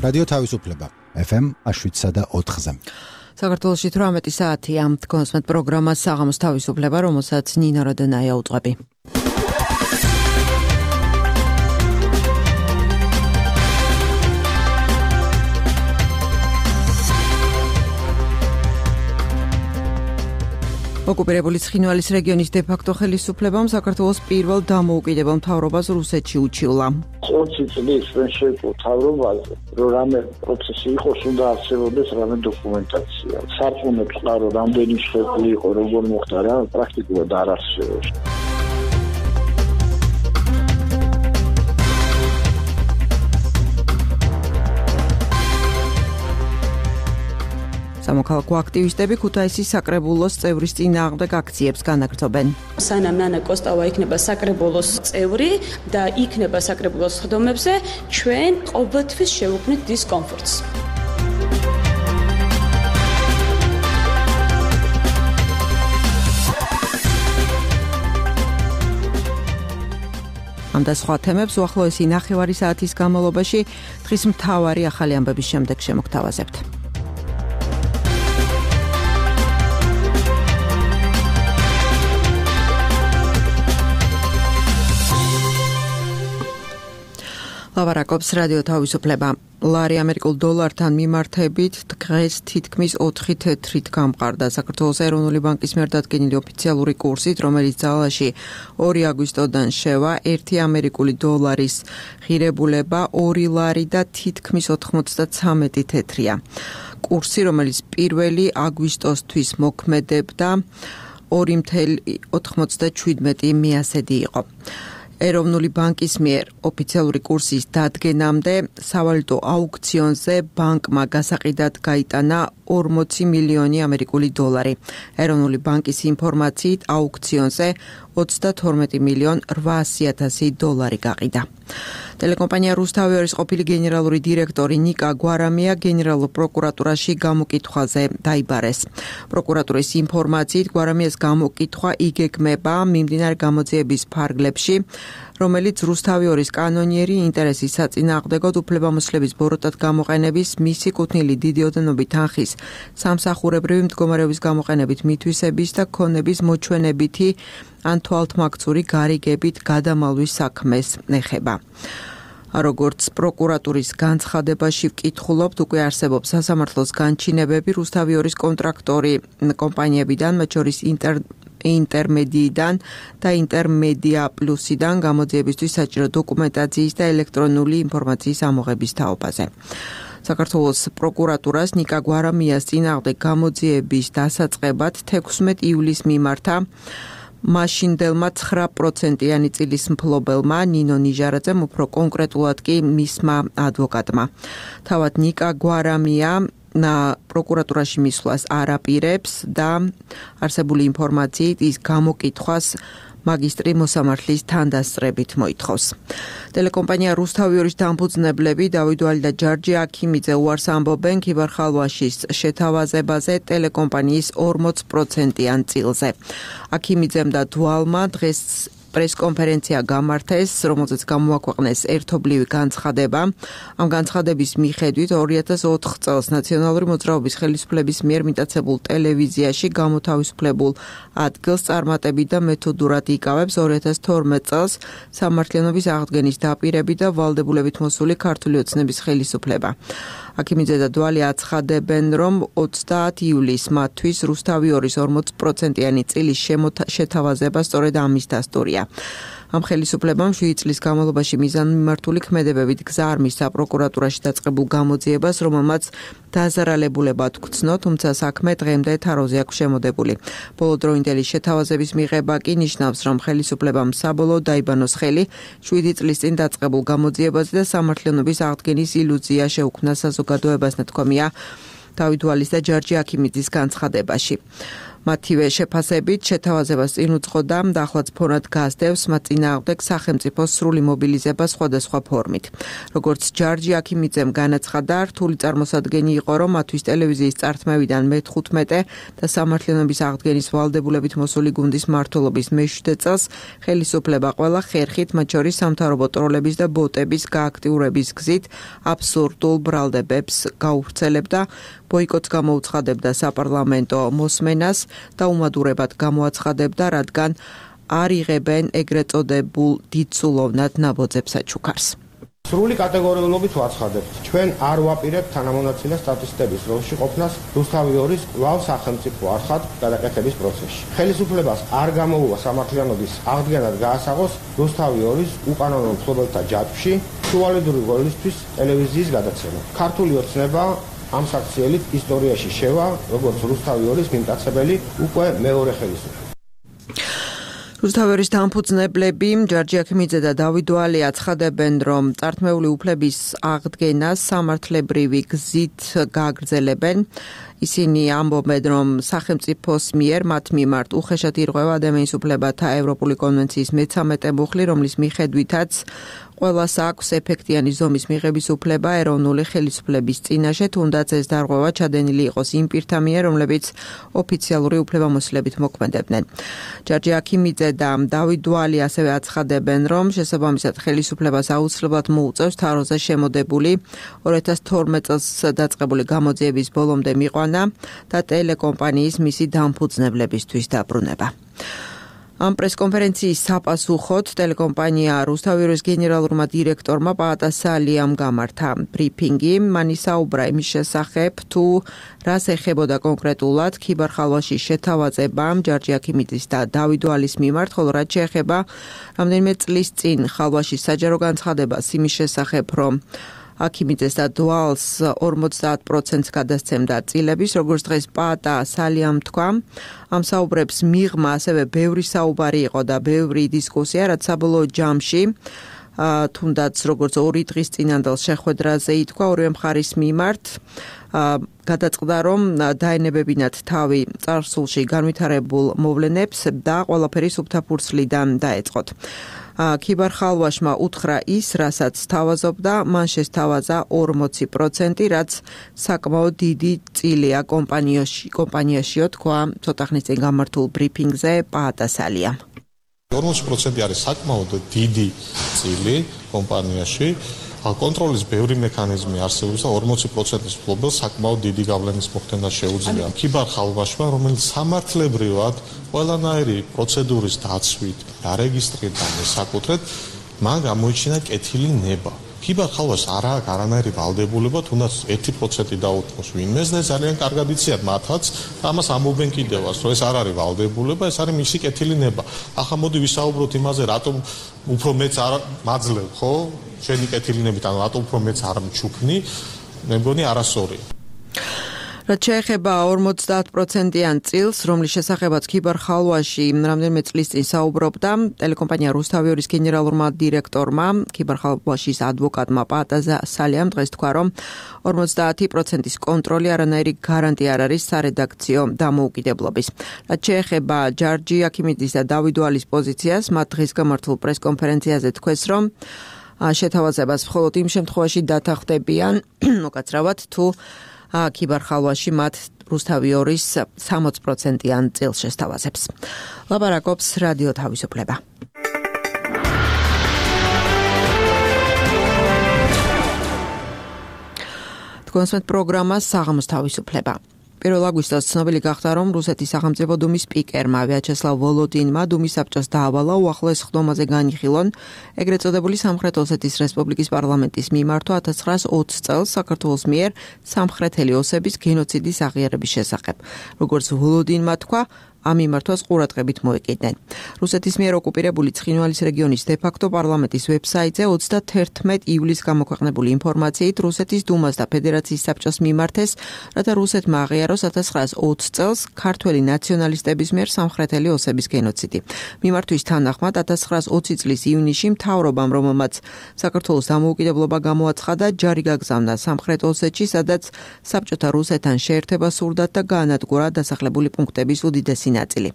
რადიო თავისუფლება FM 7.4-ზე. საქართველოში 18 საათია თქვენს პროგრამა საღამოს თავისუფლება, რომელსაც ნინა როდენაია უძღვები. ოკუპირებული ცხინვალის რეგიონის დე-ფაქტო ხელისუფლებამ საქართველოს პირველ დამოუკიდებელ მთავრობას რუსეთში უჩივლა. 20 წლის ჩვენ შევკო მთავრობაზე, რომ რამე პროცესი იყოს, უნდა არსებობდეს რამე დოკუმენტაცია. სარწმუნოებს ყარო რამდენი შეფლი იყო, როგორ მოხდა რა, პრაქტიკულად არ არსებობს. სამოქალაქო აქტივისტები ქუთაისის საკრებულოს წევრის წინააღმდეგ აქციებს განაგრძობენ. სანამ ნანა კოსტავა იქნება საკრებულოს წევრი და იქნება საკრებულოს ხდომებზე, ჩვენ ყოველთვის შევუქმნით დისკომფორტს. ამ და სხვა თემებს უახლოესი ნახევარი საათის განმავლობაში დღის მთავარი ახალი ამბების შემდეგ შემოგთავაზებთ. ლავარაკობს რადიო თავისუფლება. ლარი ამერიკულ დოლართან მიმართებით დღეს თითქმის 4 თეთრით გამყარდა. საქართველოს ეროვნული ბანკის მიერ დადგენილი ოფიციალური კურსით, რომელიც ძალაში 2 აგვისტოდან შევა, 1 ამერიკული დოლარის ღირებულება 2 ლარი და თითქმის 93 თეთრია. კურსი, რომელიც 1 აგვისტოსთვის მოქმედებდა 2,97 მიასედი იყო. ეროვნული ბანკის მიერ ოფიციალური კურსის დადგენამდე სავალუტო აუქციონზე ბანკმა გასაყიდად გაიტანა 40 მილიონი ამერიკული დოლარი. ეროვნული ბანკის ინფორმაციით აუქციონზე 32 მილიონ 800,000 დოლარი გაყიდა. ტელეკომპანია რუსთავიორის ყოფილი გენერალური დირექტორი ნიკა გვარამია გენერალურ პროკურატურაში გამოკითხვაზე დაიბარეს. პროკურატურის ინფორმაციით გვარამიას გამოკითხვა იგეგმება მიმდინარე გამოძიების ფარგლებში, რომელიც რუსთავიორის კანონიერი ინტერესის საწინააღმდეგოდ უფლებამოსილების ბოროტად გამოყენების, მისი კუთვნილი დიდი ოდენობით თანხის სამსახურებრივი მდგომარეობის გამოყენებით მითვისების და ქონების მოჩვენებითი ან თვალთმაქცური გარიგებით გადამალვის საქმეს ეხება. როგორც პროკურატურის განცხადებაში ვკითხულობთ, უკვე არსებობს სასამართლოს განჩინებები რუსთავიორის კონტრაქტორი კომპანიებიდან, მათ შორის ინტერმედიიდან და ინტერმედია პლუსიდან გამოძიებისთვის საჭირო დოკუმენტაციის და ელექტრონული ინფორმაციის ამოღების თაობაზე. საქართველოს პროკურატურას ნიკა გვარამიას წინააღმდეგ გამოძიების დასაწყებად 16 ივლისს მიმართა მაშინდელმა 9%-იანი წილის მფლობელმა ნინო ნიჟარაძემ, უფრო კონკრეტულად კი მისმა ადვოკატმა. თავად ნიკა გვარამია პროკურატურაში მისვლას არ აპირებს და არსებული ინფორმაციით ის გამოკითხვას მაგისტრი მოსამართლის თანდასწრებით მოითხოვს. ტელეკომპანია რუსთავიორის დამფუძნებლები დავიდვალი და ჯარჯი აქიმიძე უარს ამბობენ ქიბარხალვაშის შეთავაზებაზე ტელეკომპანიის 40%-იან წილზე. აქიმიძემ და დვალმა დღეს პრესკონფერენცია გამართეს, რომელზეც გამოაქვეყნეს ერთობლივი განცხადება. ამ განცხადების მიხედვით 2004 წელს ნაციონალური მოძრაობის ხელისუფლების მიერ მიტაცებულ ტელევიზიაში გამოთავისუფლებულ ადგილს წარმატებით და მეთოდურად იკავებს 2012 წელს სამართლიანობის აღდგენის დაპირებით და ვალდებულებით მოსული ქართული ოცნების ხელისუფლება. აქიმიძე და დვალი აცხადებენ, რომ 30 ივლისს მათთვის რუსთავიორის 40%-იანი წილის შეთავაზება სწორედ ამის დასტურია. ამ ხელისუფლებამ 7 წლის განმავლობაში მიზანმიმართული ქმედებებით გზა არ მისცა პროკურატურაში დაწყებულ გამოძიებას, რომელმაც დაზარალებულება გრძნო, თუმცა საქმე დღემდე თაროზე აქვს შემოდებული. ბოლოდროინდელი შეთავაზების მიღება კი ნიშნავს, რომ ხელისუფლებამ საბოლოოდ დაიბანოს ხელი 7 წლის წინ დაწყებულ გამოძიებაზე და სამართლიანობის აღდგენის ილუზია შეუქმნა საზოგადოებას, ნათქვამია დავიდვალის და ჯარჯი აქიმიძის განცხადებაში. მათივე შეფასებით შეთავაზებას წინ უძღოდა და ახლაც ფონად გასდევს მათ წინააღმდეგ სახელმწიფოს სრული მობილიზება სხვადასხვა ფორმით. როგორც ჯარჯი აქიმიძემ განაცხადა, რთული წარმოსადგენი იყო, რომ მათთვის ტელევიზიის წართმევიდან მე-15 და სამართლიანობის აღდგენის ვალდებულებით მოსული გუნდის მმართველობის მე-7 წელს ხელისუფლება ყველა ხერხით, მათ შორის სამთავრობო ტროლების და ბოტების გააქტიურების გზით აბსურდულ ბრალდებებს გაუვრცელებდა, ბოიკოტს გამოუცხადებდა საპარლამენტო მოსმენას და უმადურებად გამოაცხადებდა, რადგან არ იღებენ ეგრეთ წოდებულ დიდსულოვნად ნაბოძებს საჩუქარს. სრული კატეგორიულობით ვაცხადებთ. ჩვენ არ ვაპირებთ თანამონაცილე სტატისტების როლში ყოფნას რუსთავი 2-ის კვლავ სახელმწიფო არხად გადაკეთების პროცესში. ხელისუფლებას არ გამოუვა სამართლიანობის აღდგენად გაასაღოს რუსთავი 2-ის უკანონო მფლობელთა ჯაჭვში სუვალიდური როლისთვის ტელევიზიის გადაცემა. ქართული ოცნება ამ საქციელით ისტორიაში შევა, როგორც რუსთავი 2-ის მიმტაცებელი უკვე მეორე ხელისუფლება. რუსთავის დამფუძნებლები ჯარჯი აქიმიძე და დავით ვალე აცხადებენ, რომ წართმეული უფლების აღდგენას სამართლებრივი გზით გააგრძელებენ. ისინი ამბობენ, რომ სახელმწიფოს მიერ მათ მიმართ უხეშად ირღვევა ადამიანის უფლებათა ევროპული კონვენციის მე-13 მუხლი, რომლის მიხედვითაც ყველას აქვს ეფექტიანი ზომის მიღების უფლება ეროვნული ხელისუფლების წინაშე, თუნდაც ეს დარღვევა ჩადენილი იყოს იმ პირთა მიერ, რომლებიც ოფიციალური უფლებამოსილებით მოქმედებდნენ. ჯარჯი აქიმიძე და დავით ვალე ასევე აცხადებენ, რომ შესაბამისად ხელისუფლებას აუცილებლად მოუწევს თაროზე შემოდებული 2012 წელს დაწყებული გამოძიების ბოლომდე მიყვანა და ტელეკომპანიის მისი დამფუძნებლებისთვის დაბრუნება. ამ პრესკონფერენციის საპასუხოდ ტელეკომპანია რუსთავი 2-ის გენერალურმა დირექტორმა პაატასალიამ გამართა ბრიფინგი. მან ისაუბრა იმის შესახებ, თუ რას ეხებოდა კონკრეტულად ქიბარ-ხალვაშის შეთავაზება ჯარჯი აქიმიძის და დავით ვალის მიმართ, ხოლო რაც შეეხება რამდენიმე წლის წინ ხალვაშის საჯარო განცხადებას იმის შესახებ, რომ აქიმიძეს და დვალს 50%-ს გადასცემდა წილების, როგორც დღეს პაატასალიამ თქვა. ამ საუბრებს მიღმა ასევე ბევრი საუბარი იყო და ბევრი დისკუსია, რაც საბოლოო ჯამში თუნდაც როგორც 2 დღის წინანდელ შეხვედრაზე ითქვა ორივე მხარის მიმართ, გადაწყდა, რომ დაენებებინათ თავი წარსულში განვითარებულ მოვლენებს და ყველაფერი სუფთა ფურცლიდან დაეწყოთ. ქიბარ-ხალვაშმა უთხრა ის, რასაც თავაზობდა, მან შესთავაზა 40%, რაც საკმაოდ დიდი წილია კომპანიაშიო, თქვა ცოტა ხნის წინ გამართულ ბრიფინგზე პაატასალიამ. 40% არის საკმაოდ დიდი წილი კომპანიაში. კონტროლის ბევრი მექანიზმი არსებობს და 40%-ის მფლობელს საკმაოდ დიდი გავლენის მოხდენა შეუძლია. ქიბარ-ხალვაშმა, რომელიც სამართლებრივად ყველანაირი პროცედურის დაცვით, დარეგისტრირდა და მესაკუთრეთ, მან გამოიჩინა კეთილი ნება. ქიბარ-ხალვაშს არ აქვს არანაირი ვალდებულება, თუნდაც 1% დაუთმოს ვინმეს და ძალიან კარგად იციან მათაც, ამას ამობენ კიდევაც, რომ ეს არ არის ვალდებულება, ეს არის მისი კეთილი ნება. ახლა მოდი ვისაუბროთ იმაზე, რატომ უფრო მეც არ მაძლევ, ხო? შენი კეთილინებით, ანუ რატომ უფრო მეც არ მჩუქნი, მე მგონი არასწორია. რაც შეეხება 50%-იან წილს, რომლის შესახებაც ქიბარ-ხალვაში რამდენიმე წლის წინ საუბრობდა, ტელეკომპანია რუსთავი 2-ის გენერალურმა დირექტორმა, ქიბარ-ხალვაშის ადვოკატმა პაატასალიამ დღეს თქვა, რომ 50%-ის კონტროლი არანაირი გარანტია არ არის სარედაქციო დამოუკიდებლობის. რაც შეეხება ჯარჯი აქიმიძის და დავით ვალის პოზიციას, მათ დღეს გამართულ პრესკონფერენციაზე თქვეს, რომ შეთავაზებას მხოლოდ იმ შემთხვევაში დათანხმდებიან, მოკაცრავად, თუ ქიბარ-ხალვაში მათ რუსთავი 2-ის 60%-იან წილს შესთავაზებს. ლაპარაკობს რადიო თავისუფლება. თქვენს პროგრამას საღამოს თავისუფლება. 1 აგვისტოს ცნობილი გახდა, რომ რუსეთის სახელმწიფო დუმის სპიკერმა ვიაჩესლავ ვოლოდინმა დუმის საბჭოს დაავალა უახლოეს ხდომაზე განიხილონ ეგრეთ წოდებული სამხრეთ ოსეთის რესპუბლიკის პარლამენტის მიმართვა 1920 წელს საქართველოს მიერ სამხრეთელი ოსების გენოციდის აღიარების შესახებ. როგორც ვოლოდინმა თქვა, ამ მიმართვას ყურადღებით მოეკიდნენ. რუსეთის მიერ ოკუპირებული ცხინვალის რეგიონის დე-ფაქტო პარლამენტის ვებსაიტზე 31 ივლისს გამოქვეყნებული ინფორმაციით რუსეთის დუმას და ფედერაციის საბჭოს მიმართეს, რათა რუსეთმა აღიაროს 1920 წელს ქართველი ნაციონალისტების მიერ სამხრეთელი ოსების გენოციდი. მიმართვის თანახმად 1920 წლის ივნისში მთავრობამ, რომელმაც საქართველოს დამოუკიდებლობა გამოაცხადა, ჯარი გაგზავნა სამხრეთ ოსეთში, სადაც საბჭოთა რუსეთთან შეერთება სურდათ და გაანადგურა დასახლებული პუნქტების უდიდესი ნაწილი.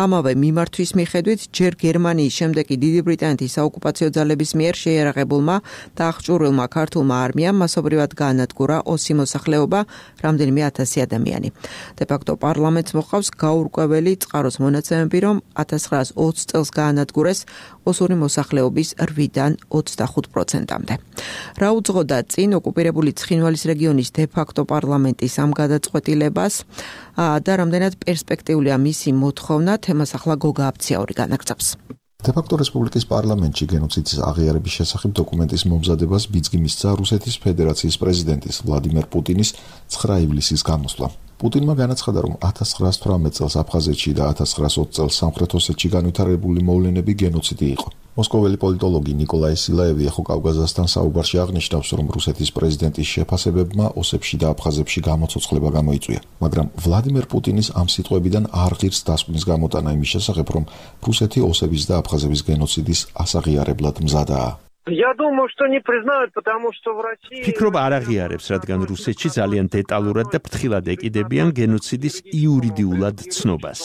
ამავე მიმართვის მიხედვით, ჯერ გერმანიის, შემდეგ კი დიდი ბრიტანეთის საოკუპაციო ძალების მიერ შეიარაღებულმა და აღჭურვილმა ქართულმა არმიამ მასობრივად გაანადგურა ოსი მოსახლეობა, რამდენიმე 1000 ადამიანი. დე-ფაქტო პარლამენტს მოყავს გაურკვეველი წყაროს მონაცემები, რომ 1920 წელს გაანადგურეს ოსური მოსახლეობის 8-დან 25%-მდე. რა უძღოდა წინ ოკუპირებული ცხინვალის რეგიონის დე-ფაქტო პარლამენტის ამ გადაწყვეტილებას და რამდენად პერსპექტიულია მისი მოთხოვნა, თემას ახლა გოგა აფციაური განაგრძობს. დე-ფაქტო რესპუბლიკის პარლამენტში გენოციდის აღიარების შესახებ დოკუმენტის მომზადებას ბიძგი მისცა რუსეთის ფედერაციის პრეზიდენტის ვლადიმერ პუტინის 9 ივლისის გამოსვლა. პუტინმა განაცხადა, რომ 1918 წელს აფხაზეთში და 1920 წელს სამხრეთ ოსეთში განვითარებული მოვლენები გენოციდი იყო. მოსკოველი პოლიტოლოგი ნიკოლაი სილაევი ახო კავკაზასთან საუბარში აღნიშნავს, რომ რუსეთის პრეზიდენტის შეფასებებმა ოსებში და აფხაზებში გამოცოცხლება გამოიწვია, მაგრამ ვლადიმერ პუტინის ამ სიტყვებიდან არ ღირს დასკვნის გამოტანა იმის შესახებ, რომ რუსეთი ოსების და აფხაზების გენოციდის ასაღიარებლად მზადაა. Я думаю, что не признают, потому что в России... Ფიქრობ არ აღიარებს, რადგან რუსეთში ძალიან დეტალურად და ფრთხილად ეკიდებიან გენოციდის იურიდიულად ცნობას.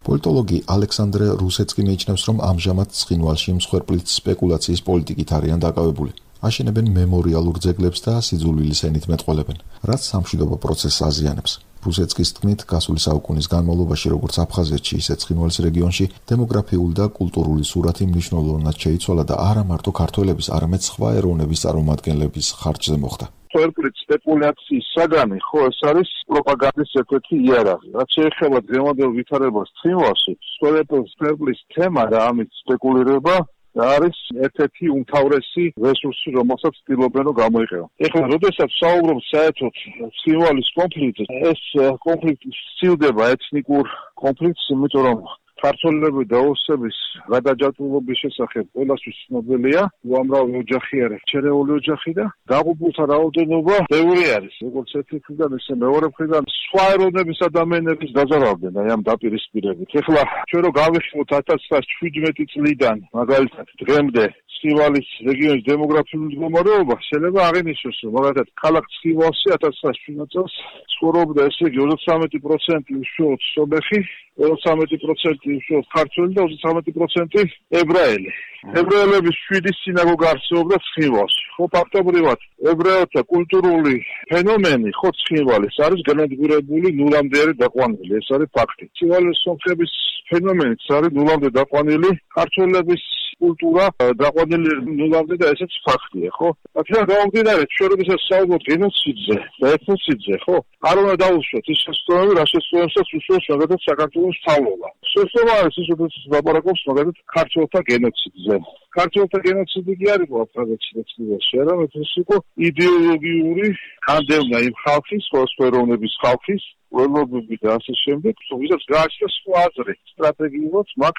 პოლიტოლოგი ალექსანდრე რუსეცკი მიიჩნევს, რომ ამჟამად ცხინვალში მსხვერპლით სპეკულაციის პოლიტიკით არიან დაკავებული. აშენებენ მემორიალურ ძეგლებს და სიძულვილის ენით მეტყველებენ, რაც სამშვიდობო პროცესს აზიანებს. რუსეცკის თქმით, გასული საუკუნის განმავლობაში, როგორც აფხაზეთში, ისე ცხინვალის რეგიონში დემოგრაფიული და კულტურული სურათი მნიშვნელოვნად შეიცვალა და არა მარტო ქართველების, არამედ სხვა ეროვნების წარმომადგენლების ხარჯზე მოხდა. მსხვერპლით სპეკულაციის საგანი, ხო, ეს არის პროპაგანდის ერთ-ერთი იარაღი. რაც შეეხება დღევანდელ ვითარებას ცხინვალში, მსხვერპლის თემა და ამით სპეკულირება არის ერთ-ერთი უმთავრესი რესურსი, რომელსაც ცდილობენ რომ გამოიყენონ. ეხლა, როდესაც საუბრობთ საერთოდ ცხინვალის კონფლიქტზე, ეს კონფლიქტი სცილდება ეთნიკურ კონფლიქტს, იმიტომ რომ ქართველები და ოსების გადაჯაჭვულობის შესახებ ყველასთვის ცნობილია, უამრავი ოჯახი არის, ჩერეული ოჯახი და დაღუპულთა რაოდენობა ბევრი არის. როგორც ერთი მხრიდან, ისე მეორე მხრიდან სხვა ეროვნების ადამიანების დაზარალდნენ აი ამ დაპირისპირებით. ეხლა ჩვენ რო გავიხსნოთ 1917 წლიდან მაგალითად დღემდე ცხინვალის რეგიონის დემოგრაფიული მდგომარეობა, შეიძლება აღინიშნოს, რომ მაგალითად ქალაქ ცხინვალში 1917 წელს ცხოვრობდა ესე იგი 33% უშუალოდ სომეხი, 33% უშუალოდ ქართველი და 33% ებრაელი. ებრაელების 7 სინაგოგა არსებობდა ცხინვალში. ხო, ფაქტობრივად ებრაელთა კულტურული ფენომენი ხო ცხინვალის არის განადგურებული ნულამდე არის დაყვანილი, ეს არის ფაქტი. ცხინვალის სომხების ფენომენიც არის ნულამდე დაყვანილი, ქართველების კულტურა დაყვანილი ნულამდე და ესეც ფაქტია, ხო? აქედან გამომდინარე, ჩვენ როდესაც საუბრობთ გენოციდზე და ეთნოციდზე, ხო? არ უნდა დავუშვათ ის შესწავლები, რა შესწავლებსაც უშუალოდ მაგალითად საქართველოს სწავლობა. შესწავლა არის ის, როდესაც ლაპარაკობს მაგალითად ქართველთა გენოციდზე. ქართველთა გენოციდი კი არ იყო აფხაზეთში და ცხინვალში, არამედ ეს იყო იდეოლოგიური განდევნა იმ ხალხის, სხვადასხვა ეროვნების ხალხის, ველობები და ასე შემდეგ, ვისაც გააჩნდა სხვა აზრი სტრატეგიულად მაგ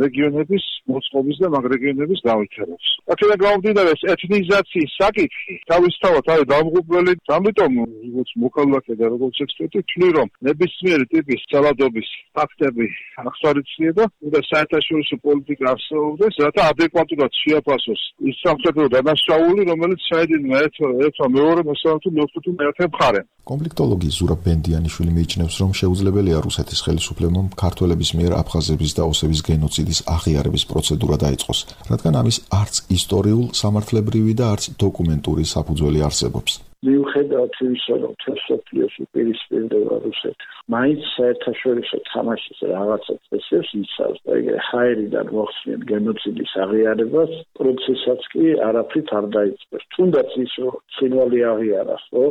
რეგიონების მოწყობის და მაგ რეგიონების გავითარებას. აქედან გამომდინარე, ეთნიზაციის საკითხი თავისთავად არის დამღუპველი, ამიტომ როგორც მოქალაქე და როგორც ექსპერტი ვთვლი, რომ ნებისმიერი ტიპის ძალადობის ფაქტები აღსარიცხვია და უნდა საერთაშორისო პოლიტიკა არსებობდეს, რათა ადეკვატურად შეაფასოს ის სამხედრო დანაშაული, რომელიც ჩაედინა ერთმა მეორე მოსამართლე მეხუთე მეათე მხარემ. კონფლიქტოლოგი ზურაბ ბენდიანიშვილი მიიჩნევს, რომ შეუძლებელია რუსეთის ხელისუფლებამ ქართველების მიერ აფხაზების და ოსების გენოციდის აღიარების პროცედურა დაიწყოს, რადგან ამის არც ისტორიულ, სამართლებრივი და არც დოკუმენტური საფუძველი არსებობს. მიუხედავად იმისა, რომ თესლოფლიოში პირისპირდება რუსეთი, მაინც საერთაშორისო თამაშის რაღაცა წესებს იცავს და ეგრე ჰაერიდან მოხსნიან გენოციდის აღიარებას, პროცესაც კი არაფრით არ დაიწყოს. თუნდაც ის, რომ ცხინვალი აღიარა, ხო?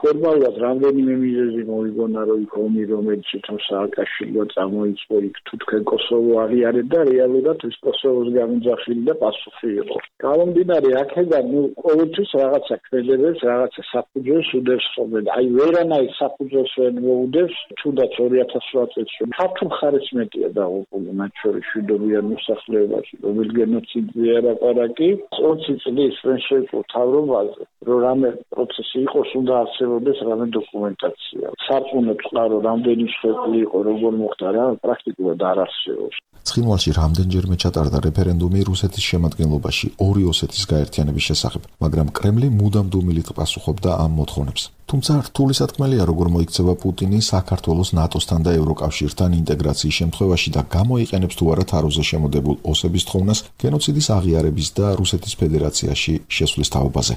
ფორმალურად რამდენიმე მიზეზი მოიგონა, რომ იქ ომი, რომელიც თვითონ სააკაშვილმა წამოიწყო, იქ თუ თქვენ კოსოვო აღიარეთ და რეალურად ის კოსოვოს გამოძახილი და პასუხი იყო. გამომდინარე აქედან, ყოველთვის რაღაცა ქმედებებს, რაღაცა საფუძველს უდევს ხოლმე. აი ვერანაირ საფუძველს ვერ მოუდევს, თუნდაც 2008 წელს ქართულ მხარეს მეტია დაღუპული, მათ შორის მშვიდობიან მოსახლეობაში, რომელიც გენოციდია ლაპარაკი. 20 წლის ვერ შეეძლო თავრობაზე, რომ რამე პროცესი იყოს, უნდა არსებობდეს რამე დოკუმენტაცია. სარწმუნოებს ყარო რამდენი შეფლი იყო, როგორ მოხდა რა, პრაქტიკულად არ არსებობს. ცხინვალში რამდენჯერმე ჩატარდა რეფერენდუმი რუსეთის შემადგენლობაში ორი ოსეთის გაერთიანების შესახებ, მაგრამ კრემლი მუდამ დუმილით პასუხობდა ამ მოთხოვნებს. თუმცა რთული სათქმელია, როგორ მოიქცევა პუტინი საქართველოს ნატოსთან და ევროკავშირთან ინტეგრაციის შემთხვევაში და გამოიყენებს თუ არა თაროზე შემოდებულ ოსების თხოვნას გენოციდის აღიარების და რუსეთის ფედერაციაში შესვლის თაობაზე.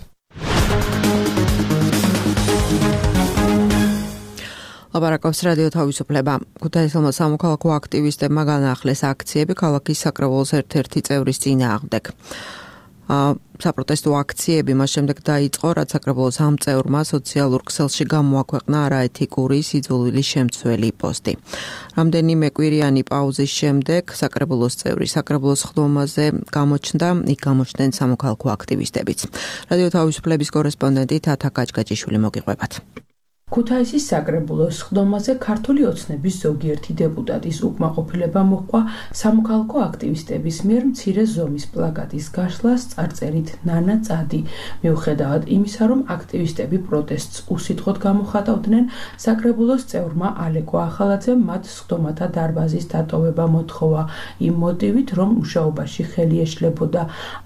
ლაპარაკობს რადიო თავისუფლება. ქუთაისელმა სამოქალაქო აქტივისტებმა განაახლეს აქციები ქალაქის საკრებულოს ერთ-ერთი წევრის წინააღმდეგ. საპროტესტო აქციები მას შემდეგ დაიწყო, რაც საკრებულოს ამ წევრმა სოციალურ ქსელში გამოაქვეყნა არაეთიკური სიძულვილის შემცველი პოსტი. რამდენიმე კვირიანი პაუზის შემდეგ საკრებულოს წევრი საკრებულოს ხდომაზე გამოჩნდა, იქ გამოჩნდნენ სამოქალაქო აქტივისტებიც. რადიო თავისუფლების კორესპონდენტი თათა გაჭგაჭიშვილი მოგიყვებათ. ქუთაისის საკრებულოს ხდომაზე ქართული ოცნების ზოგიერთი დეპუტატის უკმაყოფილება მოჰყვა სამოქალაქო აქტივისტების მიერ მცირე ზომის პლაკატის გაშლას წარწერით ნანა წადი. მიუხედავად იმისა, რომ აქტივისტები პროტესტს უსიტყვოდ გამოხატავდნენ, საკრებულოს წევრმა ალეკო ახალაძემ მათ სხდომათა დარბაზის დატოვება მოთხოვა იმ მოტივით, რომ მუშაობაში ხელი ეშლებოდა.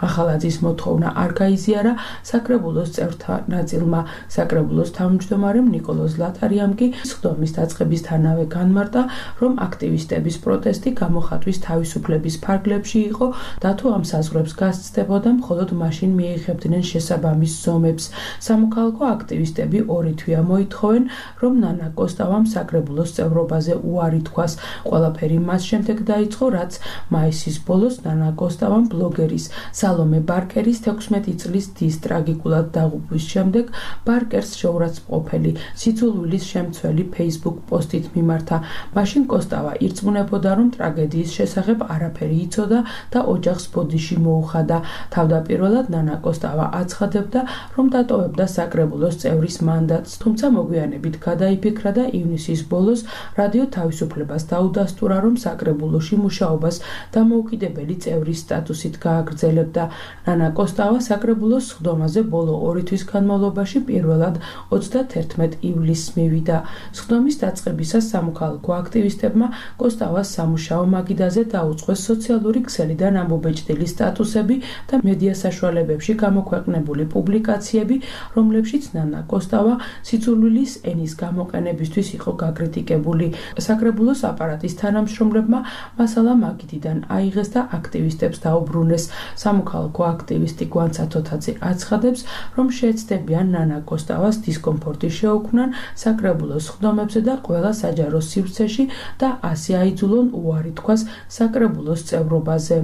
ახალაძის მოთხოვნა არ გაიზიარა საკრებულოს წევრთა ნაწილმა. საკრებულოს თავმჯდომარემ ლატარიამ კი სხდომის დაწყებისთანავე განმარტა, რომ აქტივისტების პროტესტი გამოხატვის თავისუფლების ფარგლებში იყო და თუ ამ საზღვრებს გასცდებოდა, მხოლოდ მაშინ მიიღებდნენ შესაბამის ზომებს. სამოქალაქო აქტივისტები ორი თვეა მოითხოვენ, რომ ნანა კოსტავამ საკრებულოს წევრობაზე უარი თქვას. ყველაფერი მას შემდეგ დაიწყო, რაც მაისის ბოლოს ნანა კოსტავამ ბლოგერის სალომე ბარკერის 16 წლის დის ტრაგიკულად დაღუპვის შემდეგ ბარკერს შეურაცხმყოფელი სიძულვილის შემცველი Facebook პოსტით მიმართა. მაშინ კოსტავა ირწმუნებოდა, რომ ტრაგედიის შესახებ არაფერი იცოდა და ოჯახს ბოდიში მოუხადა. თავდაპირველად ნანა კოსტავა აცხადებდა, რომ დატოვებდა საკრებულოს წევრის მანდატს, თუმცა მოგვიანებით გადაიფიქრა და ივნისის ბოლოს რადიო თავისუფლებას დაუდასტურა, რომ საკრებულოში მუშაობას დამოუკიდებელი წევრის სტატუსით გააგრძელებდა. ნანა კოსტავა საკრებულოს სხდომაზე ბოლო 2 თვის განმავლობაში პირველად 31 ივლისს მივიდა. სხდომის დაწყებისას სამოქალაქო აქტივისტებმა კოსტავას სამუშაო მაგიდაზე დაუწყეს სოციალური ქსელიდან ამობეჭდილი სტატუსები და მედია საშუალებებში გამოქვეყნებული პუბლიკაციები, რომლებშიც ნანა კოსტავა სიძულვილის ენის გამოყენებისთვის იყო გაკრიტიკებული. საკრებულოს აპარატის თანამშრომლებმა მასალა მაგიდიდან აიღეს და აქტივისტებს დაუბრუნეს. სამოქალაქო აქტივისტი გვანცა თოთაძე აცხადებს, რომ შეეცდებიან ნანა კოსტავას დისკომფორტი შეუქმნან საკრებულოს ხდომებზე და ყველა საჯარო სივრცეში და ასე აიძულონ უარი თქვას საკრებულოს წევრობაზე.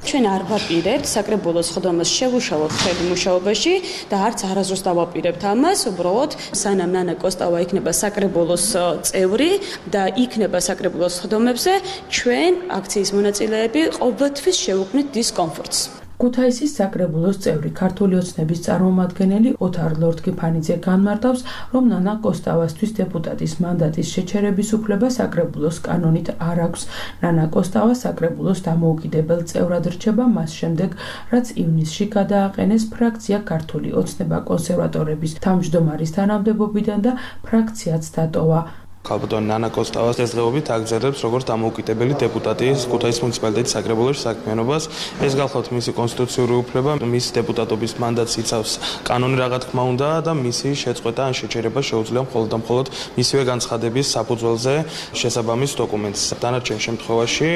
ჩვენ არ ვაპირებთ საკრებულოს ხდომას შევუშალოთ ხელი მუშაობაში და არც არასდროს დავაპირებთ ამას, უბრალოდ სანამ ნანა კოსტავა იქნება საკრებულოს წევრი და იქნება საკრებულოს ხდომებზე, ჩვენ აქციის მონაწილეები ყოველთვის შევუქმნით დისკომფორტს. ქუთაისის საკრებულოს წევრი ქართული ოცნების წარმომადგენელი ოთარ ლორთქიფანიძე განმარტავს, რომ ნანა კოსტავასთვის დეპუტატის მანდატის შეჩერების უფლება საკრებულოს კანონით არ აქვს. ნანა კოსტავა საკრებულოს დამოუკიდებელ წევრად რჩება მას შემდეგ, რაც ივნისში გადააყენეს ფრაქცია ქართული ოცნება კონსერვატორების თავმჯდომარის თანამდებობიდან და ფრაქციაც დატოვა. ქალბატონი ნანა კოსტავას დღესდღეობით აგრძელებს როგორც დამოუკიდებელი დეპუტატი ქუთაისის მუნიციპალიტეტის საკრებულოში საქმიანობას. ეს გახლავთ მისი კონსტიტუციური უფლება, მის დეპუტატობის მანდატს იცავს კანონი რა თქმა უნდა და მისი შეწყვეტა ან შეჩერება შეუძლია მხოლოდ და მხოლოდ მისივე განცხადების საფუძველზე შესაბამის დოკუმენტს. დანარჩენ შემთხვევაში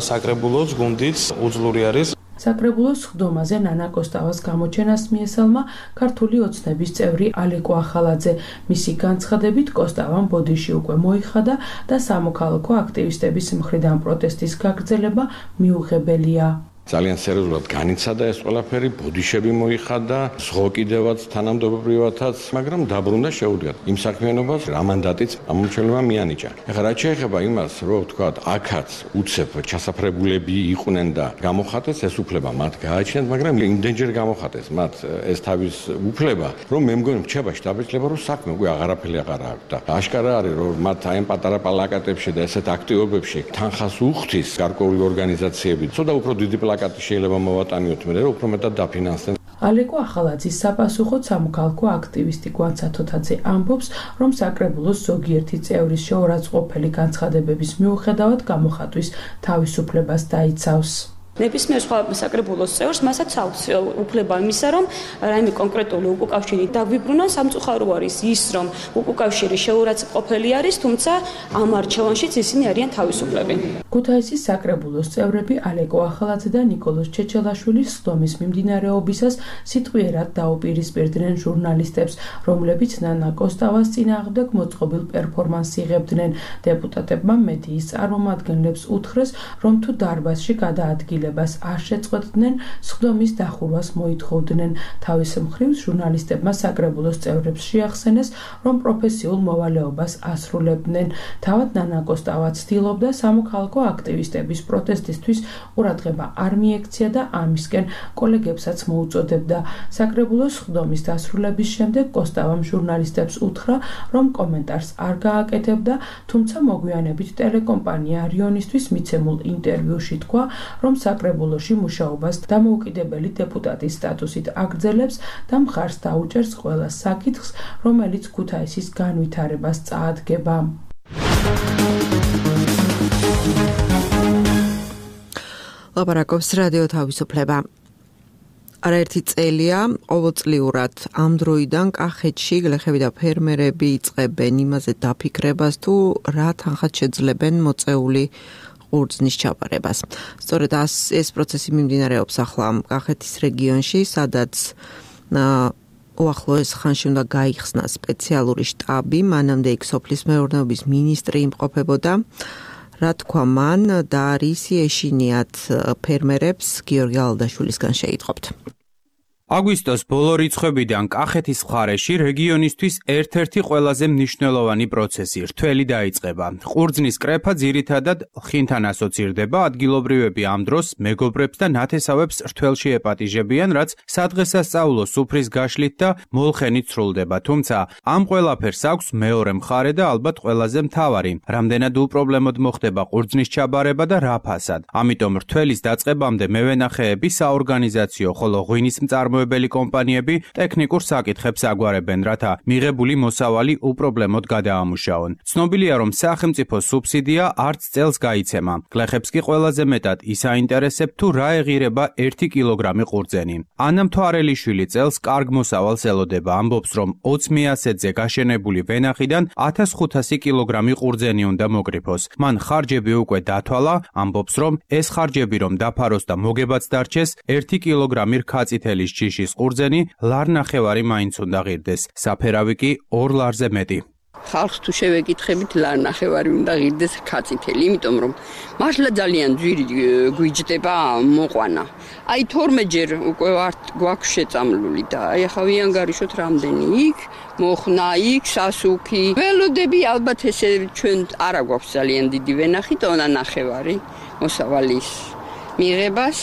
საკრებულოს გუნდიც უძლური არის. საკრებულოს ხდომაზე ნანა კოსტავას გამოჩენას მიესალმა ქართული ოცნების წევრი ალეკო ახალაძე. მისი განცხადებით კოსტავამ ბოდიში უკვე მოიხადა და სამოქალაქო აქტივისტების მხრიდან პროტესტის გაგრძელება მიუღებელია. ძალიან სერიოზულად განიცადა ეს ყველაფერი, ბოდიშები მოიხადა, სხვა კიდევაც თანამდებობრივათაც, მაგრამ დაბრუნდა შეუდგათ იმ საქმიანობას, რა მანდატიც ამომრჩეველმა მიანიჭა. ეხლა რაც შეეხება იმას, რომ ვთქვათ, აქაც უცებ ჩასაფრებულები იყვნენ და გამოხატეს ეს უფლება მათ გააჩნიათ, მაგრამ იმდენჯერ გამოხატეს მათ ეს თავის უფლება, რომ მე მგონი რჩება შტაბ-ბიჭდება, რომ საქმე უკვე აღარაფერი აღარ აქვს და აშკარა არის, რომ მათ აი ამ პატარა პლაკატებში და ესეთ აქტივობებში თანხას უხდის გარკვეული ორგანიზაციები. ცოტა უფრო დიდი პლაკატი შეიძლება მოვატანიოთ, მე რომ უფრო მეტად დაფინანსდნენ. ალეკო ახალაძის საპასუხოდ სამოქალაქო აქტივისტი გვან სათოთაძე ამბობს, რომ საკრებულოს ზოგიერთი წევრის შეურაცხყოფელი განცხადებების მიუხედავად გამოხატვის თავისუფლებას დაიცავს. ნებისმიერ სხვა საკრებულოს წევრს მასაც აქვს უფლება იმისა, რომ რაიმე კონკრეტული უკავშირი დაგვიბრუნონ. სამწუხარო არის ის, რომ უკავშირი შეურაცხყოფელი არის, თუმცა ამ არჩევანშიც ისინი არიან თავისუფლები. ქუთაისის საკრებულოს წევრები ალეკო ახალაძე და ნიკოლოზ ჩეჩელაშვილის სხდომის მიმდინარეობისას სიტყვიერად დაუპირისპირდნენ ჟურნალისტებს, რომლებიც ნანა კოსტავას წინააღმდეგ მოწყობილ პერფორმანსს იღებდნენ. დეპუტატებმა მედიის წარმომადგენლებს უთხრეს, რომ თუ დარბაზში გადაადგილეს არ შეწყვეტდნენ, სხდომის დახურვას მოითხოვდნენ. თავის მხრივ ჟურნალისტებმა საკრებულოს წევრებს შეახსენეს, რომ პროფესიულ მოვალეობას ასრულებდნენ. თავად ნანა კოსტავა ცდილობდა სამოქალაქო აქტივისტების პროტესტისთვის ყურადღება არ მიექცია და ამისკენ კოლეგებსაც მოუწოდებდა. საკრებულოს სხდომის დასრულების შემდეგ კოსტავამ ჟურნალისტებს უთხრა, რომ კომენტარს არ გააკეთებდა, თუმცა მოგვიანებით ტელეკომპანია რიონისთვის მიცემულ ინტერვიუში თქვა, რომ საკრებულოში მუშაობას დამოუკიდებელი დეპუტატის სტატუსით აგრძელებს და მხარს დაუჭერს ყველა საკითხს, რომელიც ქუთაისის განვითარებას წაადგება. ლაპარაკობს რადიო თავისუფლება. არაერთი წელია ყოველწლიურად ამ დროიდან კახეთში გლეხები და ფერმერები იწყებენ იმაზე დაფიქრებას, თუ რა თანხად შეძლებენ მოწეული ყურძნის ჩაბარებას. სწორედ ეს პროცესი მიმდინარეობს ახლა კახეთის რეგიონში, სადაც უახლოეს ხანში უნდა გაიხსნა სპეციალური შტაბი, მანამდე იქ სოფლის მეურნეობის მინისტრი იმყოფებოდა. რა თქვა მან და რისი ეშინიათ ფერმერებს, გიორგი ალდაშვილისგან შეიტყობთ. აგვისტოს ბოლო რიცხვებიდან კახეთის მხარეში რეგიონისთვის ერთ-ერთი ყველაზე მნიშვნელოვანი პროცესი რთველი დაიწყება. ყურძნის კრეფა ძირითადად ხინთან ასოცირდება, ადგილობრივები ამ დროს მეგობრებს და ნათესავებს რთველში ეპატიჟებიან, რაც სადღესასწაულო სუფრის გაშლით და მოლხენით სრულდება. თუმცა ამ ყველაფერს აქვს მეორე მხარე და ალბათ ყველაზე მთავარი, რამდენად უპრობლემოდ მოხდება ყურძნის ჩაბარება და რა ფასად. ამიტომ რთველის დაწყებამდე მევენახეები საორგანიზაციო, ხოლო ღვინის მწარმოებელი კომპანიები ტექნიკურ საკითხებს აგვარებენ, რათა მიღებული მოსავალი უპრობლემოდ გადაამუშაონ. ცნობილია, რომ სახელმწიფო სუბსიდია არც წელს გაიცემა. გლეხებს კი ყველაზე მეტად ის აინტერესებს, თუ რა ეღირება 1 კილოგრამი ყურძენი. ანა მთვარელიშვილი წელს კარგ მოსავალს ელოდება, ამბობს, რომ 20 მეასეთზე გაშენებული ვენახიდან 1500 კილოგრამი ყურძენი უნდა მოკრიფოს. მან ხარჯები უკვე დათვალა, ამბობს, რომ ეს ხარჯები რომ დაფაროს და მოგებაც დარჩეს, 1 კილოგრამი რქაწითელის ჯიშის ყურძენი ლარ-ნახევარი მაინც უნდა ღირდეს. საფერავი კი 2 ლარზე მეტი. ხალხს თუ შევეკითხებით ლარ-ნახევარი უნდა ღირდეს რქაწითელი, იმიტომ რომ მართლა ძალიან ძვირი გვიჯდება მოყვანა. აი 12 ჯერ უკვე გვაქვს შეწამლული და აი ახლა ვიანგარიშოთ რამდენი იქ, მოხნა იქ, სასუქი. ველოდები ალბათ ესე ჩვენ არა გვაქვს ძალიან დიდი ვენახი, ტონა ნახევარი მოსავალის მიღებას.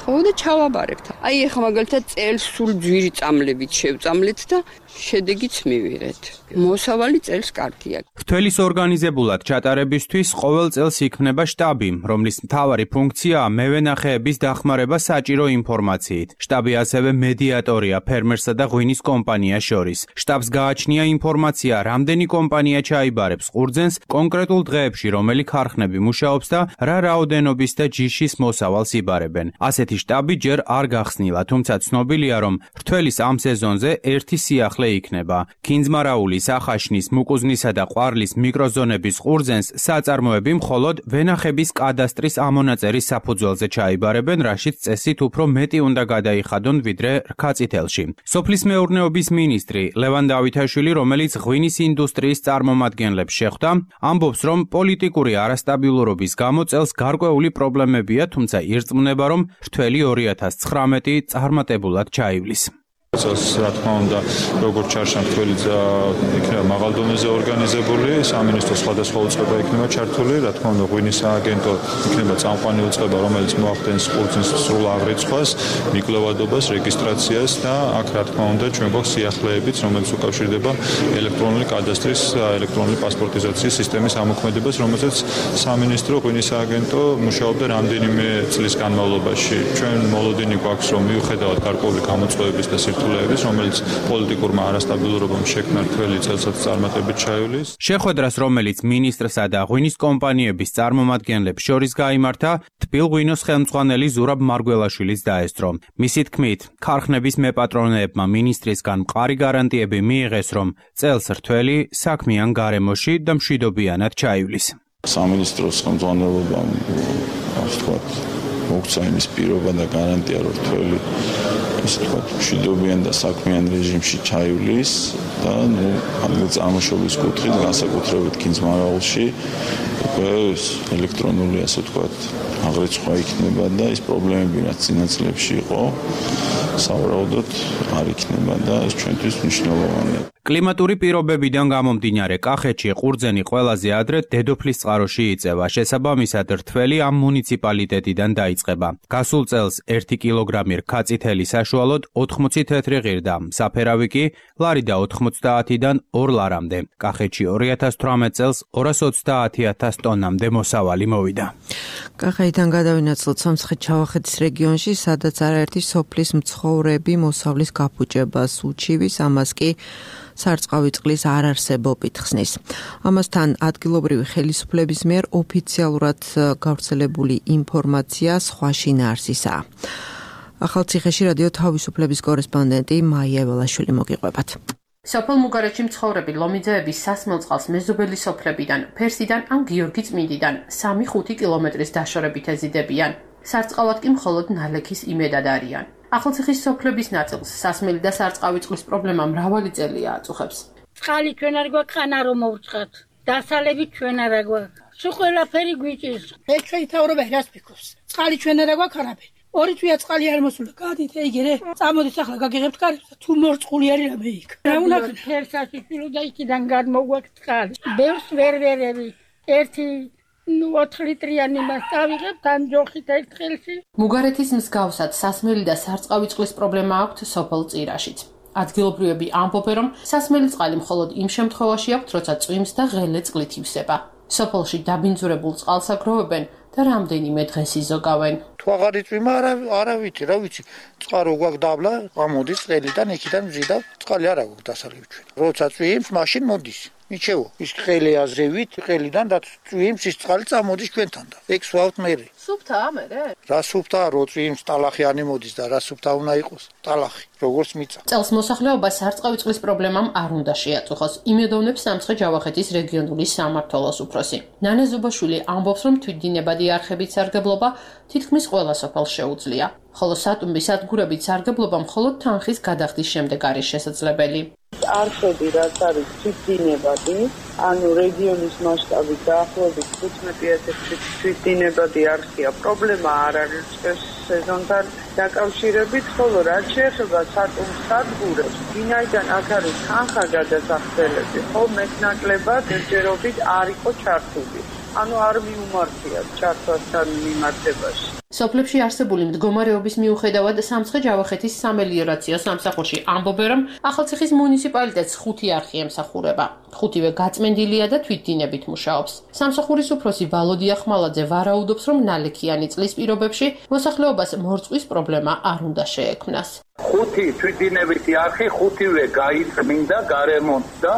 და ჩავაბარებთ. აი ახლა მაგალითად წელს სულ ძვირი წამლებით შევწამლეთ და შედეგიც მივიღეთ. მოსავალი წელს კარგია. რთველის ორგანიზებულად ჩატარებისთვის ყოველ წელს იქმნება შტაბი, რომლის მთავარი ფუნქციაა მევენახეების დახმარება საჭირო ინფორმაციით. შტაბი ასევე მედიატორია ფერმერსა და ღვინის კომპანიას შორის. შტაბს გააჩნია ინფორმაცია, რამდენი კომპანია ჩაიბარებს ყურძენს კონკრეტულ დღეებში, რომელი ქარხნები მუშაობს და რა რაოდენობის და ჯიშის მოსავალს იბარებენ. ასეთი შტაბი ჯერ არ გახსნილა, თუმცა ცნობილია, რომ რთველის ამ სეზონზე ერთი სიახლე იქნება. ქინძმარაულის, ახაშნის, მუკუზნისა და ყვარლის მიკროზონების ყურძენს საწარმოები მხოლოდ ვენახების კადასტრის ამონაწერის საფუძველზე ჩაიბარებენ, რაშიც წესით უფრო მეტი უნდა გადაიხადონ ვიდრე რქაწითელში. სოფლის მეურნეობის მინისტრი ლევან დავითაშვილი, რომელიც ღვინის ინდუსტრიის წარმომადგენლებს შეხვდა, ამბობს, რომ პოლიტიკური არასტაბილურობის გამო წელს გარკვეული პრობლემებია, თუმცა ირწმუნება, რომ რთველი 2019 წარმატებულად ჩაივლის. წელს რა თქმა უნდა როგორც ჩარშან რთველი იქნება მაღალ დონეზე ორგანიზებული, სამინისტროს სხვადასხვა უწყება იქნება ჩართული, რა თქმა უნდა ღვინის სააგენტო იქნება წამყვანი უწყება, რომელიც მოახდენს ყურძნის სრულ აღრიცხვას, მიკვლევადობას, რეგისტრაციას და აქ რა თქმა უნდა ჩვენ გვაქვს სიახლეებიც, რომელიც უკავშირდება ელექტრონული კადასტრის, ელექტრონული პასპორტიზაციის სისტემის ამოქმედებას, რომელზეც სამინისტრო ღვინის სააგენტო მუშაობდა რამდენიმე წლის განმავლობაში. ჩვენ მოლოდინი გვაქვს, რომ მიუხედავად გარკვეული გამოწვევების და რომელიც პოლიტიკურმა არასტაბილურობამ შექმნა რთველი წელსაც წარმატებით ჩაივლის. შეხვედრას, რომელიც მინისტრსა და ღვინის კომპანიების წარმომადგენლებს შორის გაიმართა, თბილღვინოს ხელმძღვანელი ზურაბ მარგველაშვილის დაესწრო. მისი თქმით, ქარხნების მეპატრონეებმა მინისტრისგან მყარი გარანტიები მიიღეს, რომ წელს რთველი საქმიან გარემოში და მშვიდობიანად ჩაივლის. სამინისტროს ხელმძღვანელობამ მოგცა იმის პირობა და გარანტია, რომ რთველი მშვიდობიან და საქმიან რეჟიმში ჩაივლის და ადგილწამოშობის კუთხით, განსაკუთრებით კინძმარაულში ელექტრონული, ასე ვთქვათ, აღრიცხვა იქნება და ის პრობლემები, რაც წინა წლებში იყო, სავარაუდოდ არ იქნება და ეს ჩვენთვის მნიშვნელოვანია. კლიმატური პირობებიდან გამომდინარე, კახეთში ყურძენი ყველაზე ადრე დედოფლის წყაროში იწევა. შესაბამისად, რთველი ამ მუნიციპალიტეტიდან დაიწყება. გასულ წელს 1 კილოგრამი რქაწითელი საშუალოდ 80 თეთრი ღირდა, საფერავი კი ლარი და 90-დან 2 ლარამდე. კახეთში 2018 წელს 230.000 ტონამდე მოსავალი მოვიდა. კახეთიდან გადავინაცვლოთ სამცხე-ჩავახეთის რეგიონში, სადაც არაერთი სოფლის მცხოვრები მოსავლის გაფუჭებას უჩივის, ამას კი სარწყავი წყლის არარსებობით ხსნის. ამასთან ადგილობრივი ხელისუფლების მიერ ოფიციალურად გავრცელებული ინფორმაცია სხვა შინაარსისაა. ახალციხეში რადიო თავისუფლების კორესპონდენტი მაია ველაშვილი მოგიყვებათ. სოფელ მუგარეთში მცხოვრები ლომიძეების სასმელ წყალს მეზობელი სოფლებიდან, ფერსიდან ან გიორგი წმინდიდან 3-5 კილომეტრის დაშორებით ეზიდებიან. სარწყავად კი მხოლოდ ნალექის იმედად არიან. ახალციხის სოფლების ნაწილს სასმელი და სარწყავი წყლის პრობლემა მრავალი წელია აწუხებს. წყალი ჩვენ არ გვაქვს ხანა რომ მოვწყოთ. დასალები ჩვენ არ გვაქვს. სულ ყველაფერი გვიჭირს. ეს ჩვენი თავრობა რას ფიქრობს? წყალი ჩვენ არ გვაქვს არაფერი. ორი თვია წყალი არ მოსულა. გადით ეგერე. წამოდით ახლა გაგიღებთ კარებს და თუ მორწყული არის რამე იქ. რა უნდა ფერსაში შილო და იქიდან გადმოგვაქვს წყალი. ბევრს ვერვერები. 4 ლიტრიანი მას დავიღებთ ამ ჯოხით ერთხელში. მუგარეთის მსგავსად სასმელი და სარწყავი წყლის პრობლემა აქვთ სოფელ წირაშიც. ადგილობრივები ამბობენ, რომ სასმელი წყალი მხოლოდ იმ შემთხვევაში აქვთ, როცა წვიმს და ღელე წყლით ივსება. სოფელში დაბინძურებულ წყალს აგროვებენ და რამდენიმე დღეს იზოგავენ. თუ აღარ იწვიმა, არა ვიცი, რა ვიცი. წყარო გვაქვს დაბლა, გამოდის ყელიდან, იქიდან მზიდავ, წყალი არ აქვს დასალევი ჩვენ. როცა წვიმს, მაშინ მოდის. მიჩევო, ის ყელი აზრევით, ყელიდან და წვიმს ის წყალი წამოდის ჩვენთან და ეგ სვავთ მე. სუფთაა მერე? რა სუფთაა, რო წვიმს ტალახი არ იმოდის და რა სუფთა უნდა იყოს? ტალახი, როგორც მიწა. წელს მოსახლეობა სარწყავი წყლის პრობლემამ არ უნდა შეაწუხოს. იმედოვნებს სამცხე-ჯავახეთის რეგიონული სამმართველოს უფროსი. ნანა ზუბაშვილი ამბობს, რომ თვითდინებადი არხებით სარგებლობა თითქმის ყველა სოფელს შეუძლია. ხოლო სატუმბის სადგურებით სარგებლობა მხოლოდ თანხის გადახდის შემდეგ არის შესაძლებელი. არხები რაც არის თვითდინებადი, ანუ რეგიონის მასშტაბით დაახლოებით 15,000 თვითდინებადი არხია. პრობლემა არ არის სეზონთან დაკავშირებით, ხოლო რაც შეეხება სატუმბის სადგურებს, ვინაიდან აქ არის თანხა გადასახდელები, ხო მეტნაკლებად ერთჯერობით არ იყო ჩართული. ანუ არ მიუმართია ჩართვასთან მიმართებაში. სოფლებში არსებული მდგომარეობის მიუხედავად სამცხე-ჯავახეთის სამელიორაციო სამსახურში ამბობენ, რომ ახალციხის მუნიციპალიტეტს 5 არხი ემსახურება. 5-ვე გაწმენდილია და თვითდინებით მუშაობს. სამსახურის უფროსი ვალოდი ახმალაძე ვარაუდობს, რომ ნალექიანი წყლის პირობებში მოსახლეობას მორწყვის პრობლემა არ უნდა შეექმნას. 5 თვითდინებითი არხი 5-ვე გაიწმინდა, გარემონტდა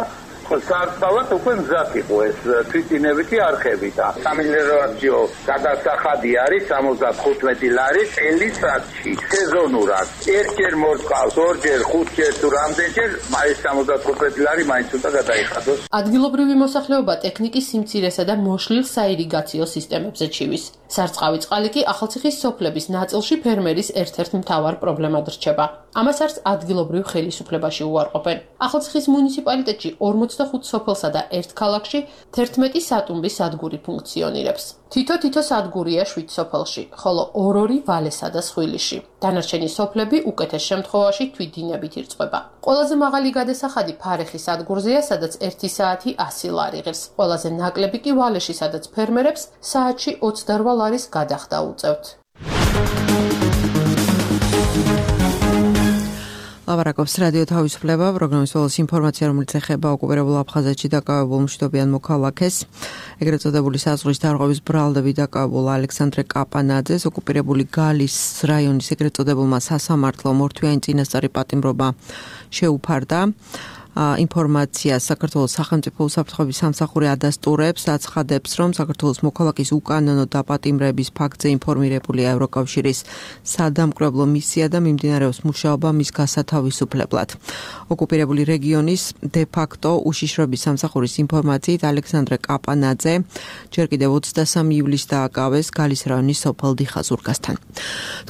სარწყავად უკვე მზად იყო ეს თვითდინებითი არხები და სამელიორაციო გადასახადი არის 75 ლარი წელიწადში სეზონურად. ერთჯერ მორწყავს, ორჯერ, 5ჯერ თუ რამდენჯერ, ეს 75 ლარი მაინც უნდა გადაიხადოს. ადგილობრივი მოსახლეობა ტექნიკის სიმცირესა და მოშლილ საირიგაციო სისტემებზე ჩივის. სარწყავი წყალი კი ახალციხის სოფლების ნაწილში ფერმერის ერთ-ერთ მთავარ პრობლემად რჩება. ამას არც ადგილობრივ ხელისუფლებაში უარყოფენ. ახალციხის მუნიციპალიტეტში 45 სოფელსა და ერთ ქალაქში 11 სატუმბის სადგური ფუნქციონირებს. თითო სადგურია 7 სოფელში, ხოლო 2 ვალესა და სხვილიში. დანარჩენი სოფლები უკეთეს შემთხვევაში თვითდინებით ირწყვება. ყველაზე მაღალი გადასახადი ფარეხი სადგურზეა, სადაც 1 საათი 100 ლარი ღირს. ყველაზე ნაკლები კი ვალეში, სადაც ფერმერებს საათში 28 ლარის გადახდა უწევთ. ლავარაკობს რადიო თავისუფლება, პროგრამის ბოლოს ინფორმაცია, რომელიც ეხება ოკუპირებულ აფხაზეთში დაკავებულ მშვიდობიან მოქალაქეს. ეგრეთ წოდებული საზღვრის დარღვევის ბრალდებით დაკავებულ ალექსანდრე კაპანაძეს ოკუპირებული გალის რაიონის ეგრეთ წოდებულმა სასამართლო მორთვიანი წინასწარი პატიმრობა შეუფარდა. ინფორმაცია საქართველოს სახელმწიფო უსაფრთხოების სამსახური ადასტურებს, აცხადებს, რომ საქართველოს მოქალაქის უკანონო დაპატიმრების ფაქტზე ინფორმირებულია ევროკავშირის სადამკვირვებლო მისია და მიმდინარეობს მუშაობა მის გასათავისუფლებლად. ოკუპირებული რეგიონის დე-ფაქტო უშიშროების სამსახურის ინფორმაციით ალექსანდრე კაპანაძე ჯერ კიდევ 23 ივლისს დააკავეს გალის რაიონის სოფელ დიხაზურგასთან.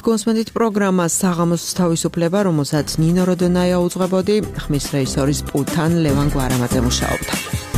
თქვენსმენით პროგრამა საღამოს თავისუფლება, რომელსაც ნინო როდონაია უძღვებოდი, ხმის რეჟისორის პულთან ლევან გვარამაძე მუშაობდა.